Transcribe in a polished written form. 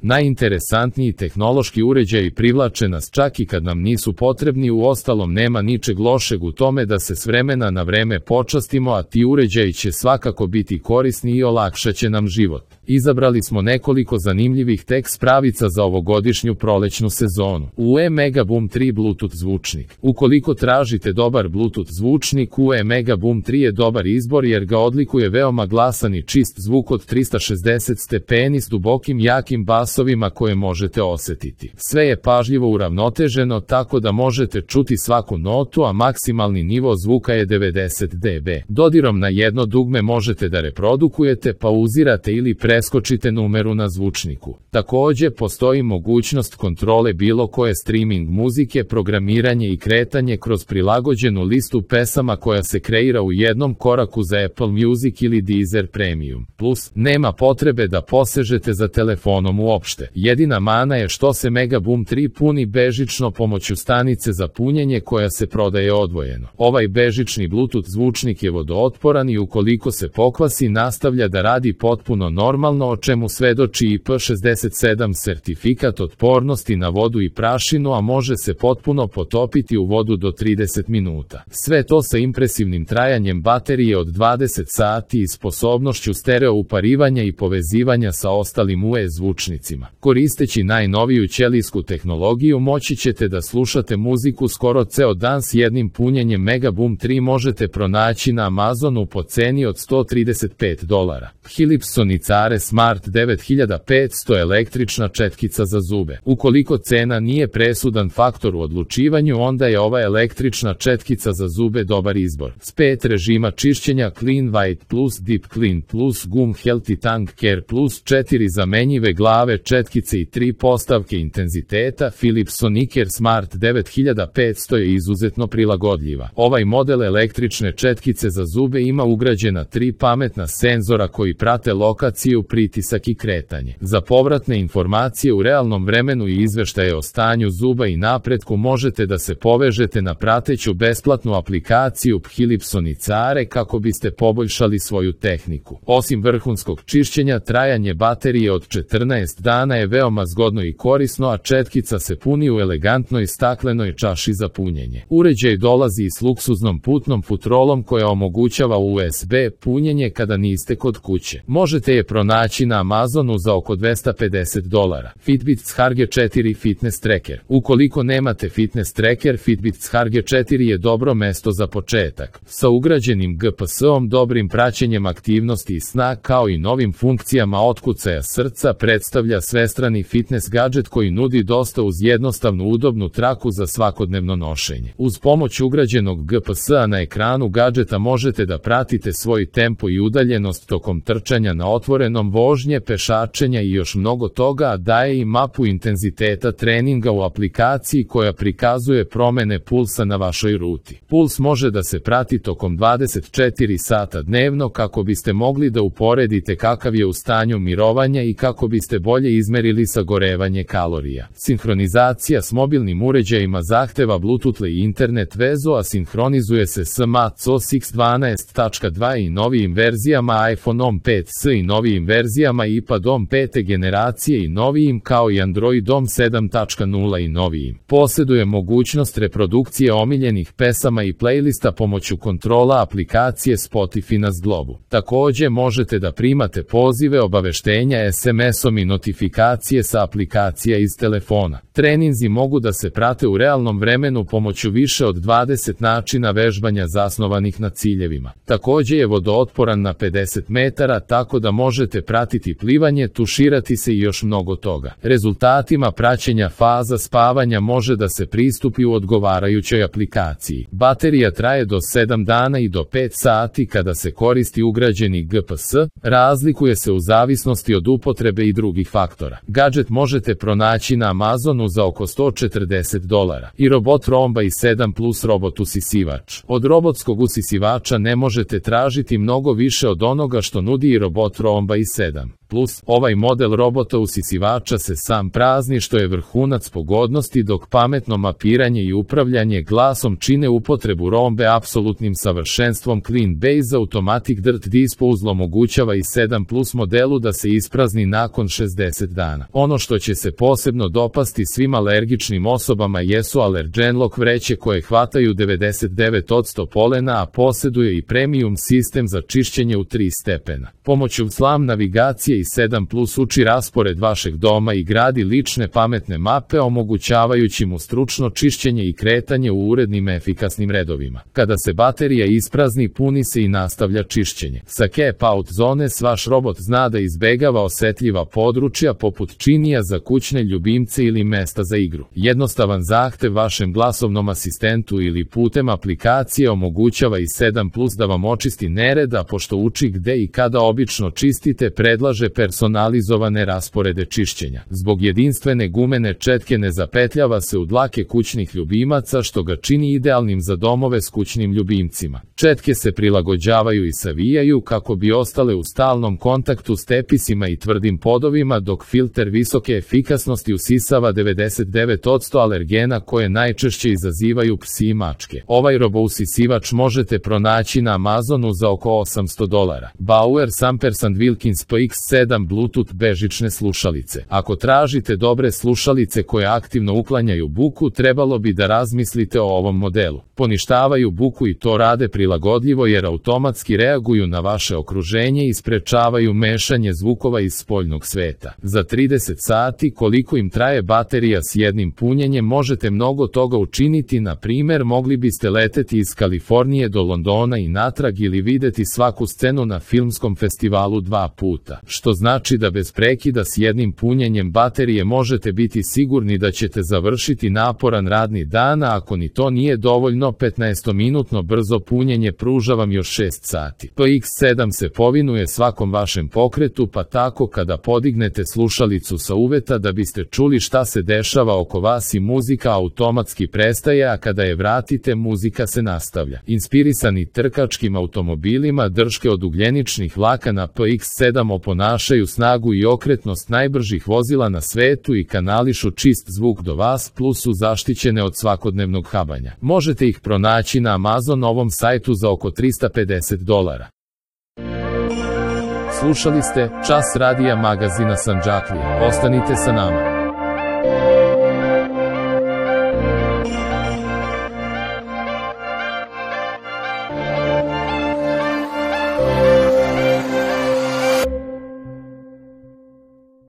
Najinteresantniji tehnološki uređaji privlače nas čak i kad nam nisu potrebni, uostalom nema ničeg lošeg u tome da se s vremena na vreme počastimo, a ti uređaji će svakako biti korisni i olakšaće nam život. Izabrali smo nekoliko zanimljivih tek spravica za ovogodišnju prolećnu sezonu. UE Megaboom 3 Bluetooth zvučnik. Ukoliko tražite dobar Bluetooth zvučnik, UE Megaboom 3 je dobar izbor jer ga odlikuje veoma glasan i čist zvuk od 360 stepeni s dubokim jakim basovima koje možete osetiti. Sve je pažljivo uravnoteženo tako da možete čuti svaku notu, a maksimalni nivo zvuka je 90 dB. Dodirom na jedno dugme možete da reprodukujete, pauzirate ili preskočite numeru na zvučniku. Takođe, postoji mogućnost kontrole bilo koje streaming muzike, programiranje i kretanje kroz prilagođenu listu pesama koja se kreira u jednom koraku za Apple Music ili Deezer Premium. Plus, nema potrebe da posežete za telefonom uopšte. Jedina mana je što se Megaboom 3 puni bežično pomoću stanice za punjenje koja se prodaje odvojeno. Ovaj bežični Bluetooth zvučnik je vodootporan i ukoliko se pokvasi nastavlja da radi potpuno normalno, o čemu svedoči IP67 sertifikat otpornosti na vodu i prašinu, a može se potpuno potopiti u vodu do 30 minuta. Sve to sa impresivnim trajanjem baterije od 20 sati i sposobnošću stereo uparivanja i povezivanja sa ostalim UE zvučnicima. Koristeći najnoviju ćelijsku tehnologiju moći ćete da slušate muziku skoro ceo dan. S jednim punjenjem Megaboom 3 možete pronaći na Amazonu po ceni od $135. Philips Sonicare Smart 9500 električna četkica za zube. Ukoliko cena nije presudan faktor u odlučivanju, onda je ova električna četkica za zube dobar izbor. S 5 režima čišćenja Clean White Plus, Deep Clean Plus, Gum Healthy Tongue Care Plus, 4 zamenjive glave četkice i 3 postavke intenziteta, Philips Sonicare Smart 9500 je izuzetno prilagodljiva. Ovaj model električne četkice za zube ima ugrađena 3 pametna senzora koji prate lokaciju, pritisak i kretanje. Za povratne informacije u realnom vremenu i izveštaje o stanju zuba i napretku možete da se povežete na prateću besplatnu aplikaciju Philips Sonicare kako biste poboljšali svoju tehniku. Osim vrhunskog čišćenja, trajanje baterije od 14 dana je veoma zgodno i korisno, a četkica se puni u elegantnoj staklenoj čaši za punjenje. Uređaj dolazi i s luksuznom putnom futrolom koja omogućava USB punjenje kada niste kod kuće. Možete je pronaći na Amazonu za oko $250. Fitbit Charge 4 Fitness Tracker. Ukoliko nemate fitness tracker, Fitbit Charge 4 je dobro mesto za početak. Sa ugrađenim GPS-om, dobrim praćenjem aktivnosti i sna, kao i novim funkcijama otkucaja srca, predstavlja svestrani fitness gadget koji nudi dosta uz jednostavnu udobnu traku za svakodnevno nošenje. Uz pomoć ugrađenog GPS-a na ekranu gadžeta možete da pratite svoj tempo i udaljenost tokom trčanja na otvorenom, vožnje, pešačenja i još mnogo toga, a daje i mapu intenziteta treninga u aplikaciji koja prikazuje promene pulsa na vašoj ruti. Puls može da se prati tokom 24 sata dnevno kako biste mogli da uporedite kakav je u stanju mirovanja i kako biste bolje izmerili sagorevanje kalorija. Sinhronizacija s mobilnim uređajima zahteva Bluetooth i internet vezu, a sinhronizuje se s macOS X 12.2 i novijim verzijama iPhone-om 5s i novijim verzijama iPad-om 5. generacije i novijim, kao i Android-om 7.0 i novijim. Posjeduje mogućnost reprodukcije omiljenih pesama i playlista pomoću kontrola aplikacije Spotify na zglobu. Takođe možete da primate pozive, obaveštenja SMS-om i notifikacije sa aplikacija iz telefona. Treninzi mogu da se prate u realnom vremenu pomoću više od 20 načina vežbanja zasnovanih na ciljevima. Takođe je vodootporan na 50 metara, tako da možete pratiti plivanje, tuširati se i još mnogo toga. Rezultatima praćenja faza spavanja može da se pristupi u odgovarajućoj aplikaciji. Baterija traje do 7 dana i do 5 sati kada se koristi ugrađeni GPS, razlikuje se u zavisnosti od upotrebe i drugih faktora. Gadget možete pronaći na Amazonu za oko $140. I robot Roomba i 7 Plus robot usisivač. Od robotskog usisivača ne možete tražiti mnogo više od onoga što nudi i robot Roomba i 7 Plus. Ovaj model robota usisivača se sam prazni, što je vrhunac pogodnosti, dok pametno mapiranje i upravljanje glasom čine upotrebu Roombe apsolutnim savršenstvom. Clean Base Automatic Dirt Disposal omogućava i 7 Plus modelu da se isprazni nakon 60 90 dana. Ono što će se posebno dopasti svim alergičnim osobama jesu Allergenlock vreće koje hvataju 99% polena, a posjeduje i premium sistem za čišćenje u 3 stepena. Pomoću slam navigacije i 7+ uči raspored vašeg doma i gradi lične pametne mape, omogućavajući mu stručno čišćenje i kretanje u urednim efikasnim redovima. Kada se baterija isprazni, puni se i nastavlja čišćenje. Sa Keep Out Zones vaš robot zna da izbegava osetljiva područja poput činija za kućne ljubimce ili mesta za igru. Jednostavan zahtev vašem glasovnom asistentu ili putem aplikacije omogućava i 7+ da vam očisti nered, a pošto uči gde i kada obično čistite, predlaže personalizovane rasporede čišćenja. Zbog jedinstvene gumene četke ne zapetljava se u dlake kućnih ljubimaca, što ga čini idealnim za domove s kućnim ljubimcima. Četke se prilagođavaju i savijaju kako bi ostale u stalnom kontaktu s tepisima i tvrdim podovima, dok filter visoke efikasnosti usisava 99% alergena koje najčešće izazivaju psi i mačke. Ovaj robousisivač možete pronaći na Amazonu za oko $800. Bauer Sampersand Wilkins PX7 Bluetooth bežične slušalice. Ako tražite dobre slušalice koje aktivno uklanjaju buku, trebalo bi da razmislite o ovom modelu. Poništavaju buku i to rade prilagodljivo jer automatski reaguju na vaše okruženje i sprečavaju mešanje zvukova iz spoljnog sveta. Za 30 sati, koliko im traje baterija s jednim punjenjem, možete mnogo toga učiniti. Na primjer, mogli biste leteti iz Kalifornije do Londona i natrag ili videti svaku scenu na filmskom festivalu 2 puta, što znači da bez prekida s jednim punjenjem baterije možete biti sigurni da ćete završiti naporan radni dan, a ako ni to nije dovoljno, 15-minutno brzo punjenje pruža vam još 6 sati. PX7 se povinuje svakom vašem pokretu, pa tako kada podignete slušalicu sa uveta da biste čuli šta se dešava oko vas i muzika automatski prestaje, a kada je vratite, muzika se nastavlja. Inspirisani trkačkim automobilima, drške od ugljeničnih vlakana PX7 oponašaju snagu i okretnost najbržih vozila na svetu i kanališu čist zvuk do vas, plus su zaštićene od svakodnevnog habanja. Možete ih pronaći na Amazonovom sajtu za oko $350. Slušali ste Čas radija magazina Sandžaklija. Ostanite sa nama.